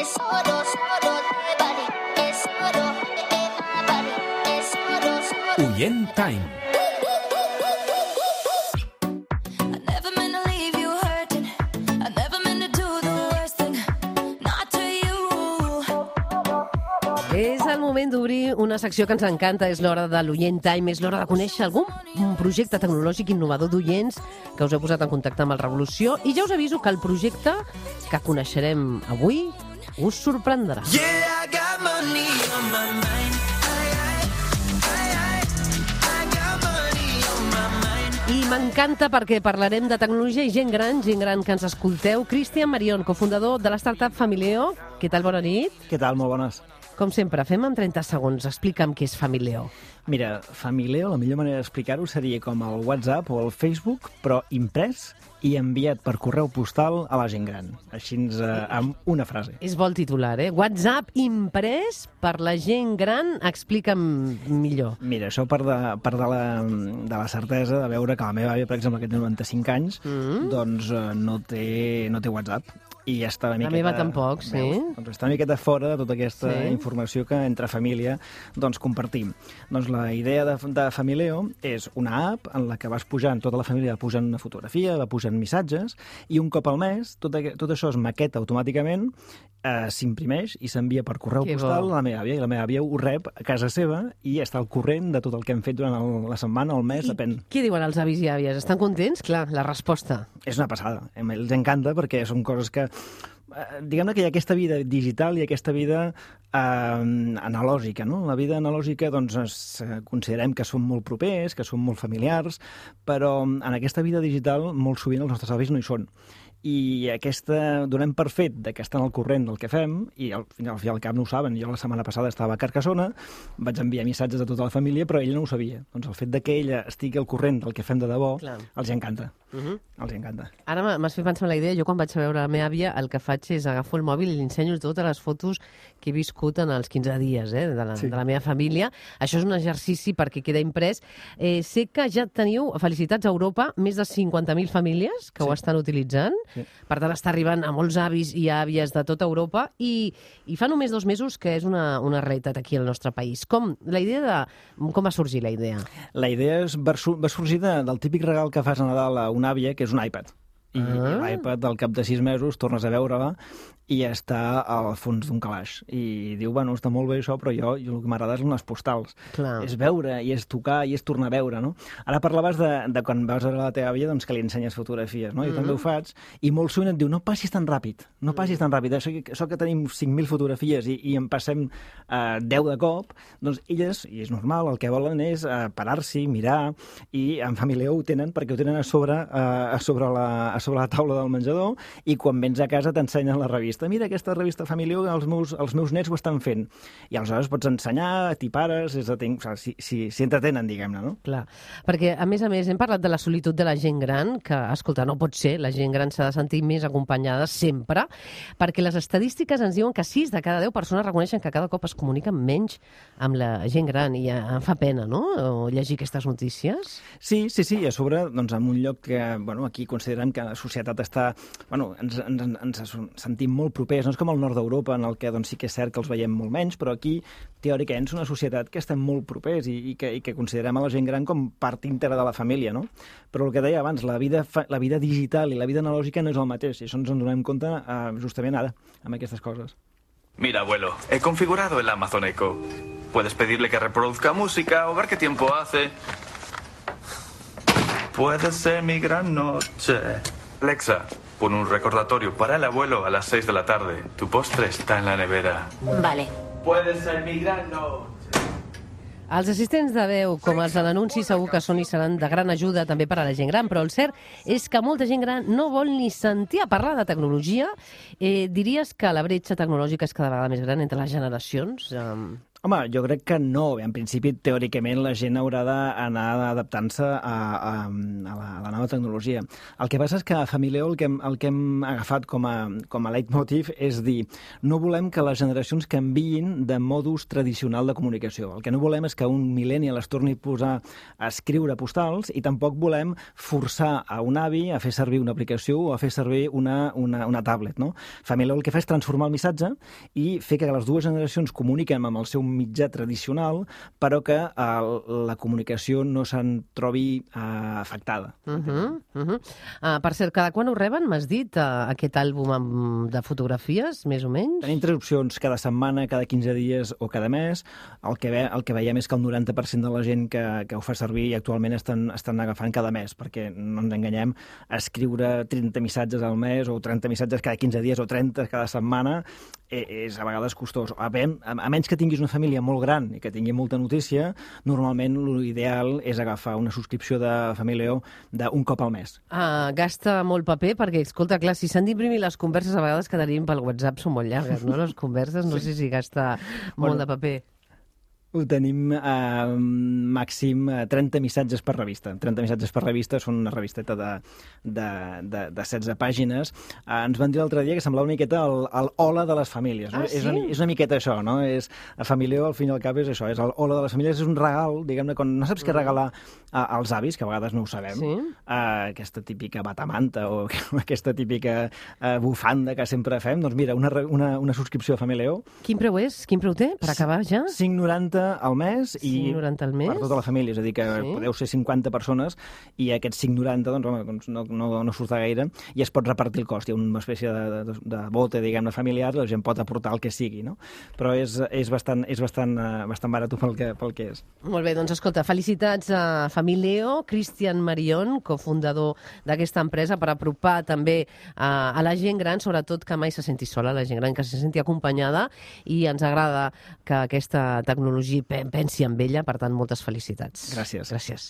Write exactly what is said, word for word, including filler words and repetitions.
Oient Time. És el moment d'obrir una secció que ens encanta, és l'hora de l'Oient Time, és l'hora de conèixer algun projecte tecnològic innovador d'oients que us heu posat en contacte amb el Revolució, i ja us aviso que el projecte que coneixerem avui us sorprendrà. Yeah, I got money on my mind. I m'encanta perquè parlarem de tecnologia i gent gran, gent gran que ens escolteu. Cristian Marion, cofundador de la startup Famileo. Què tal, bona nit? Què tal? Molt bones. Com sempre, fem en trenta segons. Explica'm què és Famileo. Mira, Famileo, la millor manera d'explicar-ho seria com el WhatsApp o el Facebook, però imprès i enviat per correu postal a la gent gran. Així, eh, amb una frase. És bo el titular, eh? WhatsApp imprès per la gent gran. Explica'm millor. Mira, això per de, per de, la, de la certesa de veure que la meva àvia, per exemple, que té noranta-cinc anys, mm-hmm. doncs eh, no, té, no té WhatsApp. I ja està una miqueta... La meva tampoc, sí. Veus? Doncs està una miqueta fora de tota aquesta sí. informació que entre família doncs, compartim. Doncs la idea de, de Famileo és una app en la que vas pujant, tota la família va pujant una fotografia, va pujant missatges, i un cop al mes tot, tot això es maqueta automàticament, eh, s'imprimeix i s'envia per correu que postal bo. a la meva àvia, i la meva àvia ho rep a casa seva i està al corrent de tot el que hem fet durant el, la setmana o el mes, I depèn. Què diuen els avis i àvies? Estan contents? Clar, la resposta. És una passada. Els encanta perquè són coses que... Diguem-ne que hi ha aquesta vida digital i aquesta vida eh, analògica, no? La vida analògica, doncs, es, considerem que són molt propers, que són molt familiars, però en aquesta vida digital molt sovint els nostres avis no hi són. I aquesta, donem per fet de que estan al corrent del que fem, i al final, al fi al cap no ho saben. Jo la setmana passada estava a Carcassona, vaig enviar missatges a tota la família, però ella no ho sabia. Doncs el fet de que ella estigui al corrent del que fem de debò, clar, els encanta. Uh-huh. Els encanta. Ara m'has fet pensar en la idea. Jo quan vaig a veure la meva àvia, el que faig és agafo el mòbil i li ensenyo totes les fotos que he viscut en els quinze dies eh, de, la, sí. de la meva família. Això és un exercici perquè queda imprès. Eh, sé que ja teniu, felicitats a Europa, més de cinquanta mil famílies que sí. ho estan utilitzant. Sí. Per tant, està arribant a molts avis i àvies de tota Europa i, i fa només dos mesos que és una, una realitat aquí al nostre país. Com, la idea de, com va sorgir la idea? La idea és, va sorgir de, del típic regal que fas a Nadal a una àvia, que és un iPad. I ah. l'iPad, al cap de sis mesos, tornes a veure-la i està al fons d'un calaix. I diu, bueno, està molt bé això, però jo, jo el que m'agrada són les postals. Clar. És veure, i és tocar, i és tornar a veure, no? Ara parlaves de, de quan vas a veure la teva àvia, doncs que li ensenyes fotografies, no? Jo mm-hmm. també ho faig, i molt sovint et diu, no passis tan ràpid, no passis tan ràpid. Això, això que tenim cinc mil fotografies i, i en passem eh, deu de cop, doncs elles, i és normal, el que volen és eh, parar-s'hi, mirar, i en família ho tenen, perquè ho tenen a sobre, eh, a sobre la, a sobre la taula del menjador, i quan vens a casa t'ensenyen la revista. Mira aquesta revista Famileo, els meus, els meus nets ho estan fent. I aleshores pots ensenyar, t'hi pares, és de temps, o sigui, si, si, si entretenen, diguem-ne, no? Clar, perquè a més a més hem parlat de la solitud de la gent gran, que, escolta, no pot ser, la gent gran s'ha de sentir més acompanyada sempre, perquè les estadístiques ens diuen que sis de cada deu persones reconeixen que cada cop es comuniquen menys amb la gent gran, i em fa pena, no?, o llegir aquestes notícies. Sí, sí, sí, i a sobre, doncs, en un lloc que, bueno, aquí considerem que la societat està, bueno, ens, ens, ens sentim molt propers, no és com el nord d'Europa, en el que doncs, sí que és cert que els veiem molt menys, però aquí, teòricament, és una societat que estem molt propers i, i, que, i que considerem a la gent gran com part íntegra de la família, no? Però el que deia abans, la vida, la vida digital i la vida analògica no és el mateix, i això ens en donem compte eh, justament ara, amb aquestes coses. Mira, abuelo, he configurado el Amazon Echo. Puedes pedirle que reproduzca música o ver qué tiempo hace. Puede ser mi gran noche. Alexa, pon un recordatorio para el abuelo a las seis de la tarde. Tu postre está en la nevera. Vale. Puede ser mi gran noche. Els assistents de veu, com els de l'anunci, segur que són i seran de gran ajuda també per a la gent gran, però el cert és que molta gent gran no vol ni sentir a parlar de tecnologia. Eh, diries que la bretxa tecnològica és cada vegada més gran entre les generacions? Um... Home, jo crec que no. En principi, teòricament, la gent haurà d'anar adaptant-se a, a, a, la, a la nova tecnologia. El que passa és que a Famileo el que hem, el que hem agafat com a, com a leitmotiv és dir, no volem que les generacions canviïn de modus tradicional de comunicació. El que no volem és que un millennial es torni a posar a escriure postals i tampoc volem forçar a un avi a fer servir una aplicació o a fer servir una, una, una tablet. No? Famileo el que fa és transformar el missatge i fer que les dues generacions comuniquen amb el seu mitjà tradicional, però que uh, la comunicació no se'n trobi uh, afectada. Uh -huh, uh -huh. Uh, per cert, cada quan ho reben, m'has dit, uh, aquest àlbum amb, de fotografies, més o menys? Tenim tres opcions, cada setmana, cada quinze dies o cada mes. El que, ve, el que veiem és que el noranta per cent de la gent que, que ho fa servir i actualment estan, estan agafant cada mes, perquè no ens enganyem, escriure trenta missatges al mes o trenta missatges cada quinze dies o trenta cada setmana és a vegades costós. A, a menys que tinguis una família molt gran i que tingui molta notícia, normalment l'ideal és agafar una subscripció de Famileo d'un cop al mes. Ah, gasta molt paper perquè, escolta, clar, si s'han d'imprimir les converses, a vegades que tenim pel WhatsApp són molt llargues, no? Les converses, no sí. sé si gasta molt bueno, de paper. Ho tenim a eh, màxim trenta missatges per revista. trenta missatges per revista són una revisteta de, de, de, de setze pàgines. Eh, ens van dir l'altre dia que semblava una miqueta el, el hola de les famílies. No? Ah, sí? és, una, és una miqueta això, no? És, a Famileo, al fin i al cap, és això, és el hola de les famílies, és un regal, diguem-ne, quan no saps què regalar a, als avis, que a vegades no ho sabem, sí? eh, aquesta típica batamanta o aquesta típica eh, bufanda que sempre fem, doncs mira, una, una, una subscripció a Famileo. Quin preu és? Quin preu té, per acabar ja? cinc noranta al mes i cinc noranta al mes? Per tota la família, és a dir, que sí? podeu ser cinquanta persones i aquests cinc noranta doncs, home, doncs no, no, no surt gaire i es pot repartir el cost. Hi ha una espècie de, de, de bote, diguem-ne, familiar, la gent pot aportar el que sigui, no? Però és, és bastant, és bastant, uh, bastant barat pel que, pel que és. Molt bé, doncs escolta, felicitats a Famileo, Cristian Marion, cofundador d'aquesta empresa, per apropar també a, a la gent gran, sobretot que mai se senti sola, la gent gran que se senti acompanyada, i ens agrada que aquesta tecnologia pensi en ella, per tant, moltes felicitats. Gràcies. Gràcies.